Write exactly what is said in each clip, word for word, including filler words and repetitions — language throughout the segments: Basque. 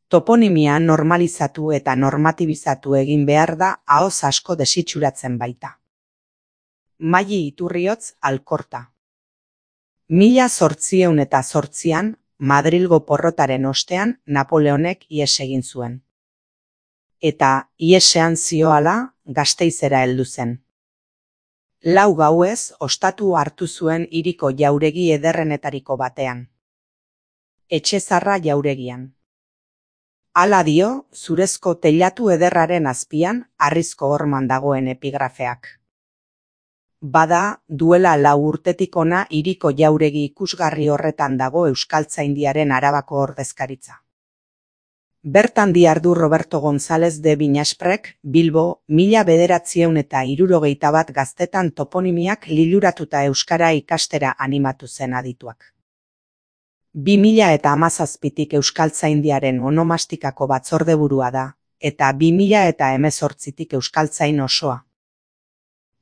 Toponimia normalizatu eta normatibizatu egin behar da ahoz asko desitxuratzen baita. Maili Iturriotz Alkorta. Mila zortziehun eta zortzian, Madrilgo porrotaren ostean Napoleonek ihes egin zuen. Eta ihesean zioala Gasteizera heldu zen. Lau gauez ostatu hartu zuen hiriko jauregi ederrenetariko batean. Etxezarra jauregian. Hala dio, zurezko teilatu ederraren azpian harrizko horman dagoen epigrafeak. Bada, duela lau urtetik ona hiriko jauregi ikusgarri horretan dago Euskaltzaindiaren Arabako ordezkaritza. Bertan dihardu Roberto González de Viñasprek, Bilbo, mila bederatziehun eta hirurogeita bat gaztetan toponimiak liluratuta euskara ikastera animatu zen adituak. Bi mila eta hamazazpitik Euskaltzaindiaren onomastikako batzordeburua da, eta bi mila eta hemezortzitik Euskaltzain osoa.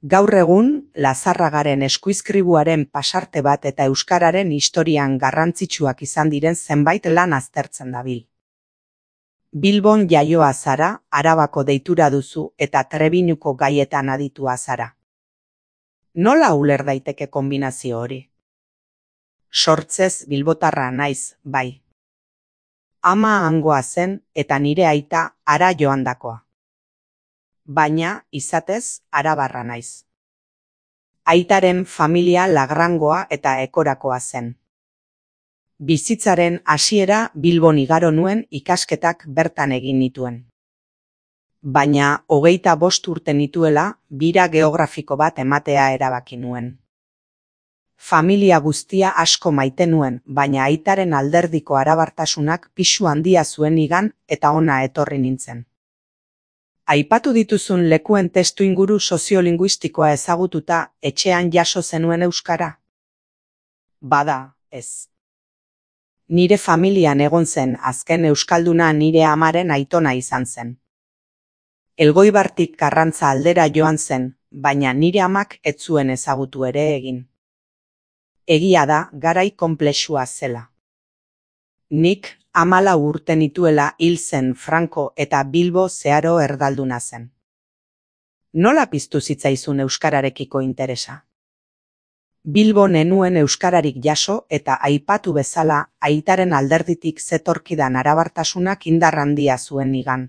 Gaur egun, Lazarragaren eskuizkribuaren pasarte bat eta euskararen historian garrantzitsuak izan diren zenbait lan aztertzen dabil. Bilbon jaioa zara, Arabako deitura duzu eta Trebiñuko gaietan aditua zara. Nola uler daiteke konbinazio hori? Sortzez bilbotarra naiz, bai. Ama hangoa zen eta nire aita hara joandakoa. Baina, izatez, arabarra naiz. Aitaren familia Lagrangoa eta Ekorakoa zen. Bizitzaren hasiera Bilbon igaro nuen ikasketak bertan egin nituen. Baina, hogeita bost urte nituela, bira geografiko bat ematea erabaki nuen. Familia guztia asko maite nuen, baina aitaren alderdiko arabartasunak pisu handia zuen igan eta ona etorri nintzen. Aipatu dituzun lekuen testuinguru soziolinguistikoa ezagututa etxean jaso zenuen euskara? Bada, ez. Nire familian egon zen azken euskalduna nire amaren aitona izan zen. Elgoibartik Karrantza aldera joan zen, baina nire amak ez zuen ezagutu ere egin. Egia da, garai konplexua zela. Nik hamalau urte nituela hil zen Franco eta Bilbo zeharo erdalduna zen. Nola piztu zitzaizun euskararekiko interesa? Bilbo nenuen euskararik jaso eta aipatu bezala aitaren alderditik zetorkidan arabartasunak indar handia zuen nigan.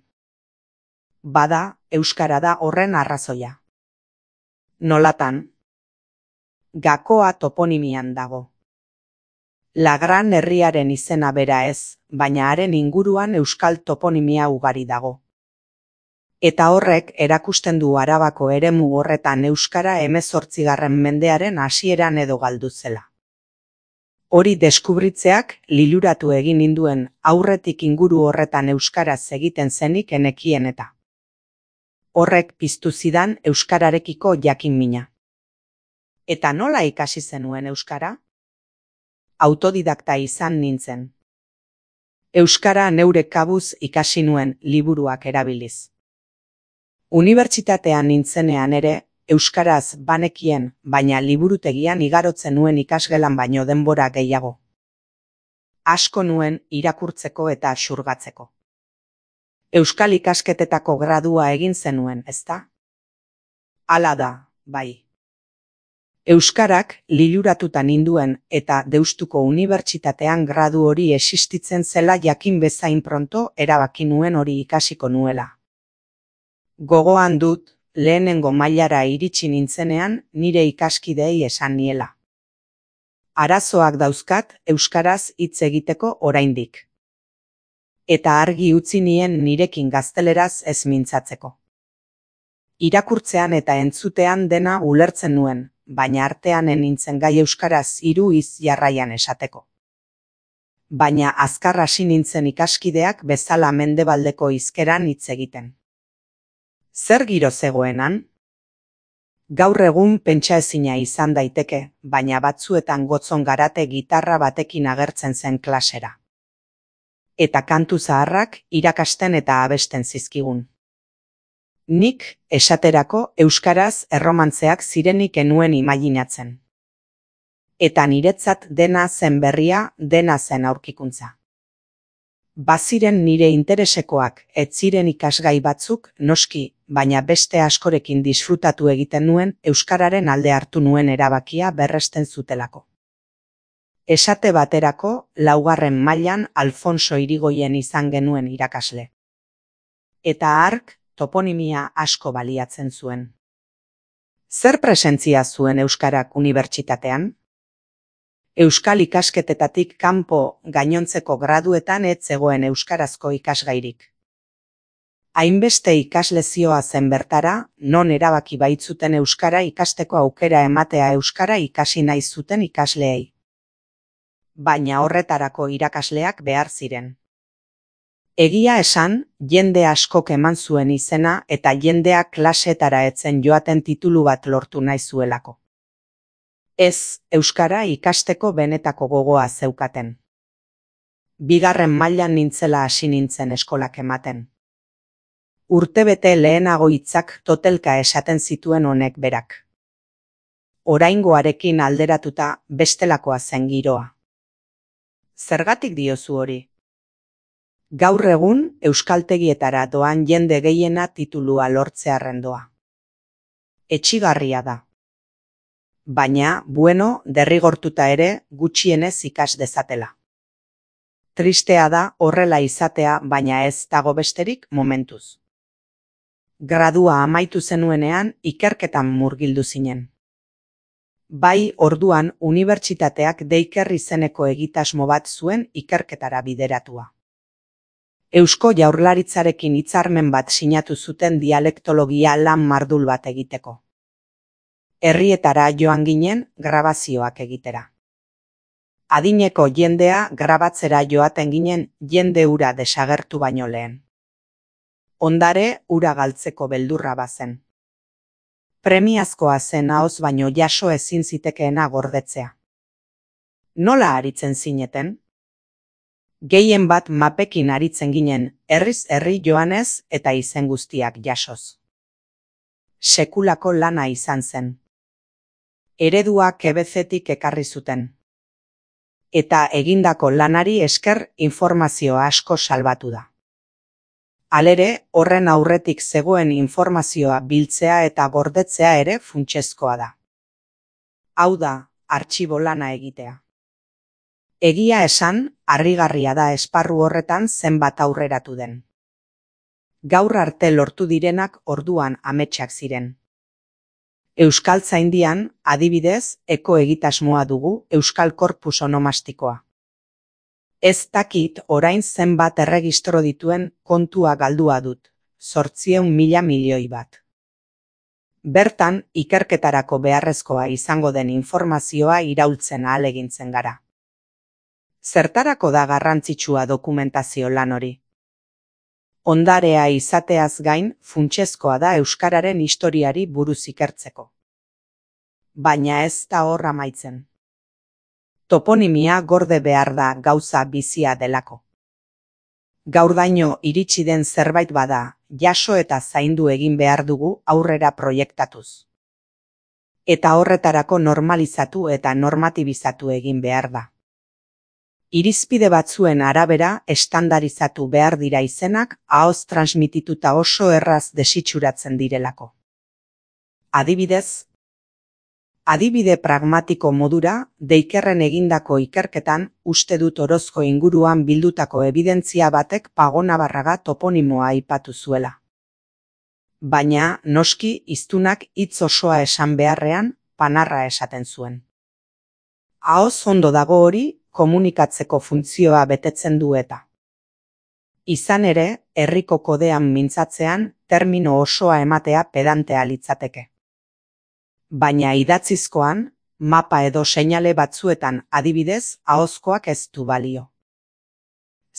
Bada, euskara da horren arrazoia. Nolatan? Gakoa toponimian dago. Lagran herriaren izena bera ez, baina haren inguruan euskal toponimia ugari dago. Eta horrek erakusten du Arabako eremu horretan euskara hemezortzigarren mendearen hasieran edo galdu zela. Hori deskubritzeak liluratu egin ninduen aurretik inguru horretan euskaraz egiten zenik enekien eta. Horrek piztu zidan euskararekiko jakinmina. Eta nola ikasi zenuen euskara? Autodidakta izan nintzen. Euskara neure kabuz ikasi nuen liburuak erabiliz. Unibertsitatean nintzenean ere, euskaraz banekien, baina liburutegian igarotzen nuen ikasgelan baino denbora gehiago. Asko nuen irakurtzeko eta xurgatzeko. Euskal ikasketetako gradua egin zenuen, ezta? Hala da, bai. Euskarak liluratuta ninduen eta Deustuko Unibertsitatean gradu hori existitzen zela jakin bezain pronto erabaki nuen hori ikasiko nuela. Gogoan dut, lehenengo mailara iritsi nintzenean nire ikaskidei esan niela. Arazoak dauzkat euskaraz hitz egiteko oraindik. Eta argi utzi nien nirekin gazteleraz ez mintzatzeko. Irakurtzean eta entzutean dena ulertzen nuen, baina artean nintzen gai euskaraz hiru hitz jarraian esateko. Baina azkar hasi nintzen ikaskideak bezala mendebaldeko hizkeran hitz egiten. Zer giro zegoenan? Gaur egun pentsaezina izan daiteke, baina batzuetan gotzon garate gitarra batekin agertzen zen klasera. Eta kantu zaharrak irakasten eta abesten zizkigun. Nik, esaterako, euskaraz erromantzeak zirenik enuen imaginatzen. Eta niretzat dena zen berria, dena zen aurkikuntza. Baziren nire interesekoak ez ziren ikasgai batzuk, noski, baina beste askorekin disfrutatu egiten nuen euskararen alde hartu nuen erabakia berresten zutelako. Esate baterako, laugarren mailan Alfonso Irigoyen izan genuen irakasle. Eta hark toponimia asko baliatzen zuen. Zer presentzia zuen euskarak unibertsitatean? Euskal ikasketetatik kanpo gainontzeko graduetan ez zegoen euskarazko ikasgairik. Hainbeste ikaslezioa zen bertara, non erabaki baitzuten euskara ikasteko aukera ematea euskara ikasi nahi zuten ikasleei. Baina horretarako irakasleak behar ziren. Egia esan, jende askok eman zuen izena eta jendeak klasetara etzen joaten titulu bat lortu nahi zuelako. Ez, euskara ikasteko benetako gogoa zeukaten. Bigarren mailan nintzela hasi nintzen eskolak ematen. Urtebete lehenago hitzak totelka esaten zituen honek berak. Oraingoarekin alderatuta bestelakoa zen giroa. Zergatik diozu hori? Gaur egun euskaltegietara doan jende gehiena titulua lortzearren doa. Etsigarria da. Baina, bueno, derrigortuta ere gutxienez ikas dezatela. Tristea da horrela izatea, baina ez dago besterik momentuz. Gradua amaitu zenuenean ikerketan murgildu zinen. Bai, orduan unibertsitateak Deiker izeneko egitasmo bat zuen ikerketara bideratua. Eusko Jaurlaritzarekin hitzarmen bat sinatu zuten dialektologia lan mardul bat egiteko. Herrietara joan ginen grabazioak egitera. Adineko jendea grabatzera joaten ginen jende ura desagertu baino lehen. Ondare ura galtzeko beldurra bazen. Premiazkoa zen ahoz baino jaso ezin zitekeena gordetzea. Nola aritzen zineten? Gehien bat mapekin aritzen ginen, herriz herri joanez eta izen guztiak jasoz. Sekulako lana izan zen. Eredua kebezetik ekarri zuten. Eta egindako lanari esker informazio asko salbatu da. Halere, horren aurretik zegoen informazioa biltzea eta gordetzea ere funtsezkoa da. Hau da, artxibo lana egitea. Egia esan, harrigarria da esparru horretan zenbat aurreratu den. Gaur arte lortu direnak orduan ametsak ziren. Euskaltzaindian, adibidez, eko egitasmoa dugu Euskal Korpus Onomastikoa. Ez dakit orain zenbat erregistro dituen kontua galdua dut, zortziehun mila milioi bat. Bertan, ikerketarako beharrezkoa izango den informazioa iraultzen ahalegintzen gara. Zertarako da garrantzitsua dokumentazio lan hori? Ondarea izateaz gain, funtsezkoa da euskararen historiari buruz ikertzeko. Baina ez da hor amaitzen. Toponimia gorde behar da gauza bizia delako. Gaurdaino iritsi den zerbait bada, jaso eta zaindu egin behar dugu aurrera proiektatuz. Eta horretarako normalizatu eta normatibizatu egin behar da. Irizpide batzuen arabera estandarizatu behar dira izenak ahoz transmitituta oso erraz desitxuratzen direlako. Adibidez, adibide pragmatiko modura, Deikerren egindako ikerketan uste dut Orozko inguruan bildutako ebidentzia batek Pagonabarraga toponimoa aipatu zuela. Baina, noski, hiztunak hitz osoa esan beharrean, panarra esaten zuen. Ahoz ondo dago hori, komunikatzeko funtzioa betetzen du eta. Izan ere, herriko kodean mintzatzean, termino osoa ematea pedantea litzateke. Baina idatzizkoan, mapa edo seinale batzuetan adibidez, ahozkoak ez du balio.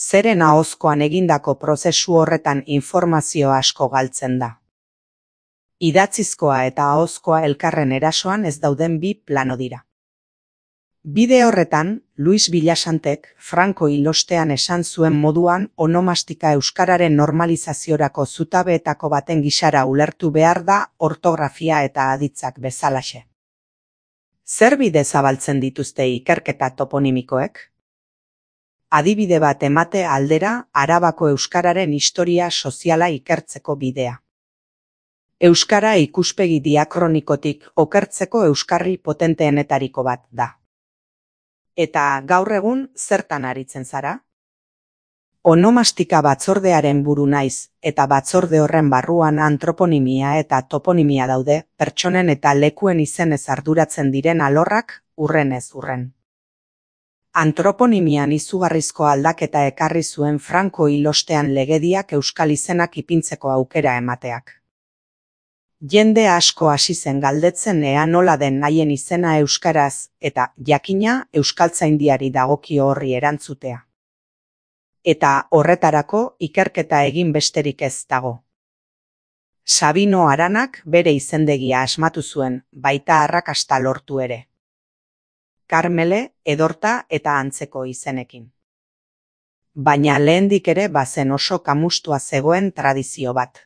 Zeren ahozkoan egindako prozesu horretan informazio asko galtzen da. Idatzizkoa eta ahozkoa elkarren erasoan ez dauden bi plano dira. Bide horretan, Luis Villasantek Franco hilostean esan zuen moduan onomastika euskararen normalizaziorako zutabeetako baten gisara ulertu behar da ortografia eta aditzak bezalaxe. Zer bide zabaltzen dituzte ikerketa toponimikoek? Adibide bat emate aldera Arabako euskararen historia soziala ikertzeko bidea. Euskara ikuspegi diakronikotik okertzeko euskarri potenteenetariko bat da. Eta gaur egun zertan aritzen zara? Onomastika batzordearen buru naiz, eta batzorde horren barruan antroponimia eta toponimia daude, pertsonen eta lekuen izenez arduratzen diren alorrak hurrenez hurren. Antroponimian izugarrizko aldaketa ekarri zuen Franco hil ostean legediak euskal izenak ipintzeko aukera emateak. Jende asko hasi zen galdetzen ea nola den haien izena euskaraz, eta jakina euskaltzaindiari dagokio horri erantzutea. Eta horretarako ikerketa egin besterik ez dago. Sabino Aranak bere izendegia asmatu zuen, baita arrakasta lortu ere. Karmele, Edorta eta antzeko izenekin. Baina lehendik ere bazen oso kamustua zegoen tradizio bat.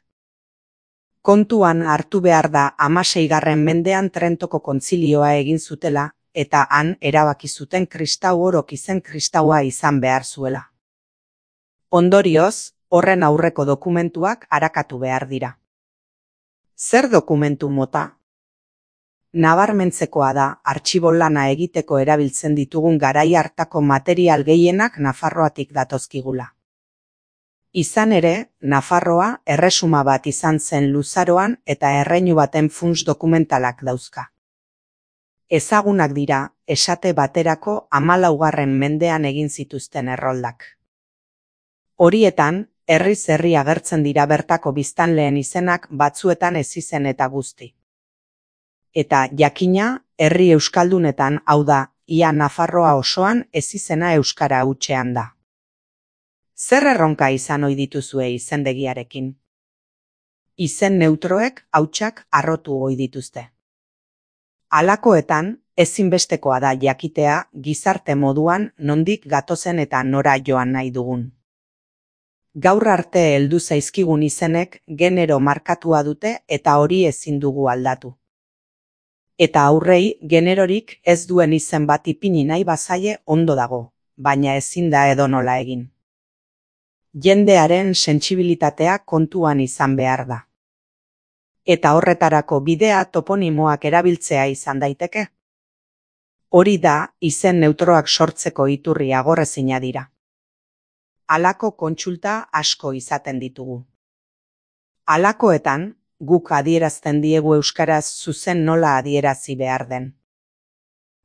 Kontuan hartu behar da hamaseigarren mendean Trentoko kontzilioa egin zutela, eta han erabaki zuten kristau orok izen kristaua izan behar zuela. Ondorioz, horren aurreko dokumentuak arakatu behar dira. Zer dokumentu mota? Nabarmentzekoa da, artxibo lana egiteko erabiltzen ditugun garai hartako material gehienak Nafarroatik datozkigula. Izan ere, Nafarroa erresuma bat izan zen luzaroan eta erreinu baten funts dokumentalak dauzka. Ezagunak dira, esate baterako hamalaugarren mendean egin zituzten erroldak. Horietan, herriz herri agertzen dira bertako biztanleen izenak batzuetan ezizen eta guzti. Eta jakina, herri euskaldunetan, hau da, ia Nafarroa osoan ezizena euskara hutsean da. Zer erronka izan ohi dituzue izendegiarekin? Izen neutroek hautsak harrotu ohi dituzte. Halakoetan, ezinbestekoa da jakitea gizarte moduan nondik gatozen eta nora joan nahi dugun. Gaur arte heldu zaizkigun izenek genero markatua dute eta hori ezin dugu aldatu. Eta aurrei generorik ez duen izen bat ipini nahi bazaie ondo dago, baina ezin da edonola egin. Jendearen sentsibilitatea kontuan izan behar da. Eta horretarako bidea toponimoak erabiltzea izan daiteke. Hori da, izen neutroak sortzeko iturri agorrezina dira. Halako kontsulta asko izaten ditugu. Halakoetan, guk adierazten diegu euskaraz zuzen nola adierazi behar den.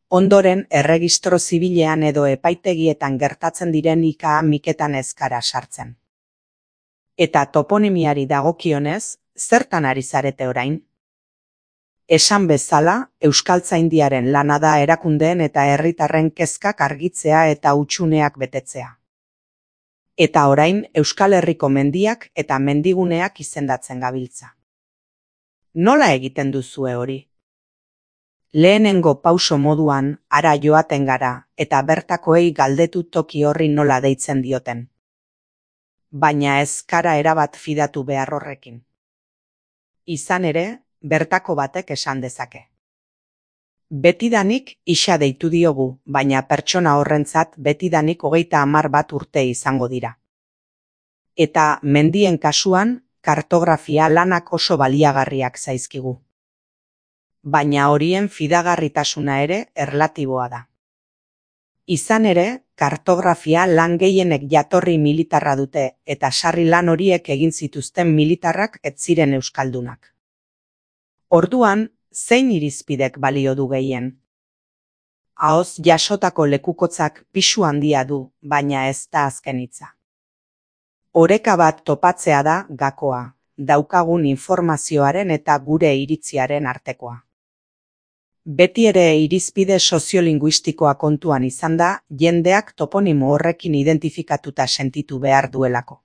Ondoren, erregistro zibilean edo epaitegietan gertatzen diren ika-miketan ezkara sartzen. Eta toponimiari dagokionez, zertan ari zarete orain? Esan bezala, euskaltzaindiaren lana da erakundeen eta herritarren kezkak argitzea eta hutsuneak betetzea. Eta orain, Euskal Herriko mendiak eta mendiguneak izendatzen gabiltza. Nola egiten duzue hori? Lehenengo pauso moduan, hara joaten gara, eta bertakoei galdetu toki horri nola deitzen dioten. Baina ez kara erabat fidatu behar horrekin. Izan ere, bertako batek esan dezake. Betidanik isa deitu diogu, baina pertsona horrentzat betidanik hogeita hamar bat urte izango dira. Eta mendien kasuan, kartografia lanak oso baliagarriak zaizkigu. Baina horien fidagarritasuna ere erlatiboa da. Izan ere, kartografia lan gehienek jatorri militarra dute eta sarri lan horiek egin zituzten militarrak ez ziren euskaldunak. Orduan, zein irizpidek balio du gehien? Ahoz jasotako lekukotzak pisu handia du, baina ez da azken hitza. Oreka bat topatzea da gakoa, daukagun informazioaren eta gure iritziaren artekoa. Beti ere irizpide soziolinguistikoa kontuan izan da, jendeak toponimo horrekin identifikatuta sentitu behar duelako.